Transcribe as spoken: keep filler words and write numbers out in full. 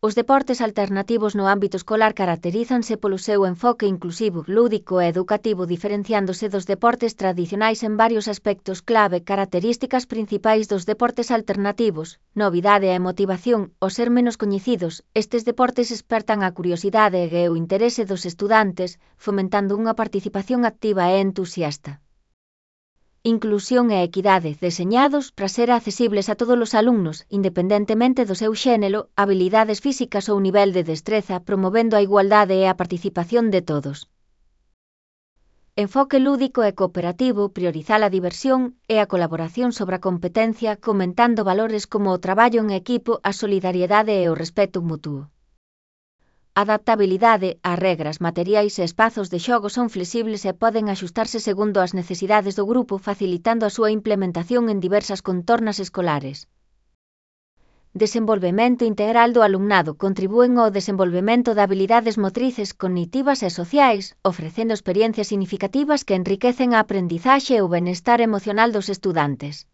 Os deportes alternativos no ámbito escolar caracterízanse polo seu enfoque inclusivo, lúdico e educativo diferenciándose dos deportes tradicionais en varios aspectos clave. Características principais dos deportes alternativos: novidade e motivación. Ao ser menos coñecidos, estes deportes espertan a curiosidade e o interese dos estudantes, fomentando unha participación activa e entusiasta. Inclusión e equidade, deseñados para ser accesibles a todos os alumnos, independentemente do seu xénero, habilidades físicas ou nivel de destreza, promovendo a igualdade e a participación de todos. Enfoque lúdico e cooperativo, priorizar a diversión e a colaboración sobre a competencia, comentando valores como o traballo en equipo, a solidariedade e o respeto mutuo. Adaptabilidade, as regras, materiais e espazos de xogo son flexibles e poden axustarse segundo as necesidades do grupo, facilitando a súa implementación en diversas contornas escolares. Desenvolvemento integral do alumnado, contribúen ao desenvolvemento de habilidades motrices, cognitivas e sociais, ofrecendo experiencias significativas que enriquecen a aprendizaxe e o benestar emocional dos estudantes.